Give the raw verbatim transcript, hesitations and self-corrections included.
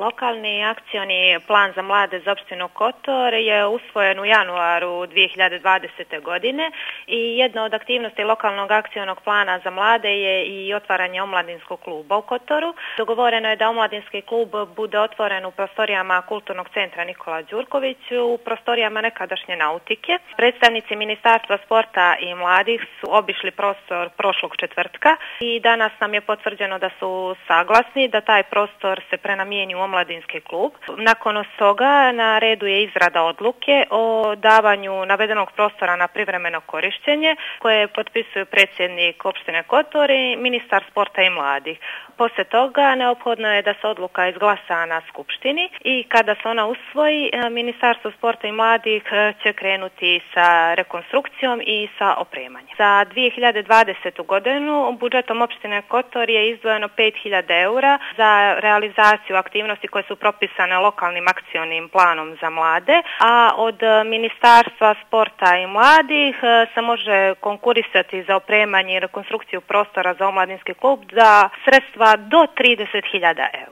Lokalni akcioni plan za mlade za opštinu Kotor je usvojen u januaru dvije hiljade dvadesete. godine i jedna od aktivnosti lokalnog akcionog plana za mlade je i otvaranje omladinskog kluba u Kotoru. Dogovoreno je da omladinski klub bude otvoren u prostorijama Kulturnog centra Nikola Đurković, u prostorijama nekadašnje nautike. Predstavnici Ministarstva sporta i mladih su obišli prostor prošlog četvrtka i danas nam je potvrđeno da su saglasni da taj prostor se prenamijeni u omladinski klub. Nakon toga na redu je izrada odluke o davanju navedenog prostora na privremeno korištenje koje potpisuju predsjednik opštine Kotor i ministar sporta i mladih. Poslije toga neophodno je da se odluka izglasa na skupštini i kada se ona usvoji, Ministarstvo sporta i mladih će krenuti sa rekonstrukcijom i sa opremanjem. Za dvije hiljade dvadesetu. godinu budžetom opštine Kotor je izdvojeno pet hiljada eura za realizaciju aktivnosti koje su propisane lokalnim akcionim planom za mlade, a od Ministarstva sporta i mladih se može konkurisati za opremanje i rekonstrukciju prostora za omladinski klub za sredstva do trideset hiljada eura.